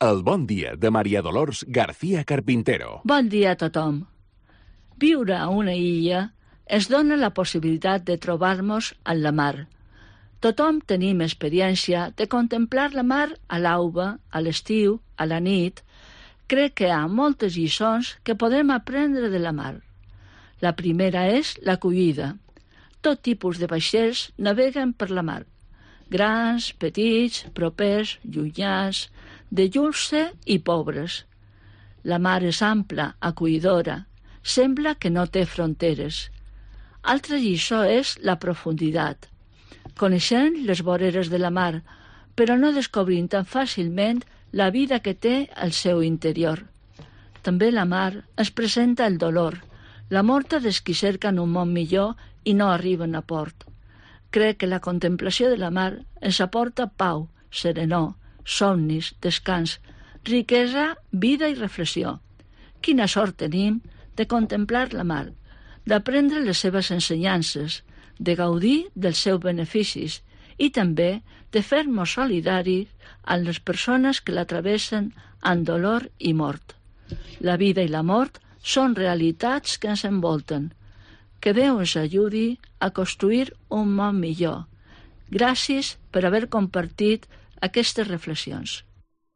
El bon dia de Maria Dolors García Carpintero. Bon dia a tothom. Viure a una illa ens dona la possibilitat de trobar-nos en la mar. Tothom tenim experiència de contemplar la mar a l'alba, a l'estiu, a la nit. Crec que hi ha moltes lliçons que podem aprendre de la mar. La primera és l'acollida. Tot tipus de vaixells naveguen per la mar. Grans, petits, propers, llunyans, de lluça i pobres. La mar és ampla, acollidora. Sembla que no té fronteres. Altra lliçó és la profunditat. Coneixem les voreres de la mar, però no descobrim tan fàcilment la vida que té al seu interior. També la mar ens presenta el dolor, la mort dels qui cerquen un món millor i no arriben a port. Crec que la contemplació de la mar ens aporta pau, serenor, somnis, descans, riquesa, vida i reflexió. Quina sort tenim de contemplar la mar, d'aprendre les seves ensenyances, de gaudir dels seus beneficis i també de fer-nos solidaris amb les persones que la travessen amb dolor i mort. La vida i la mort són realitats que ens envolten. Que Déu ens ajudi a construir un món millor. Gràcies per haver compartit aquestes reflexions.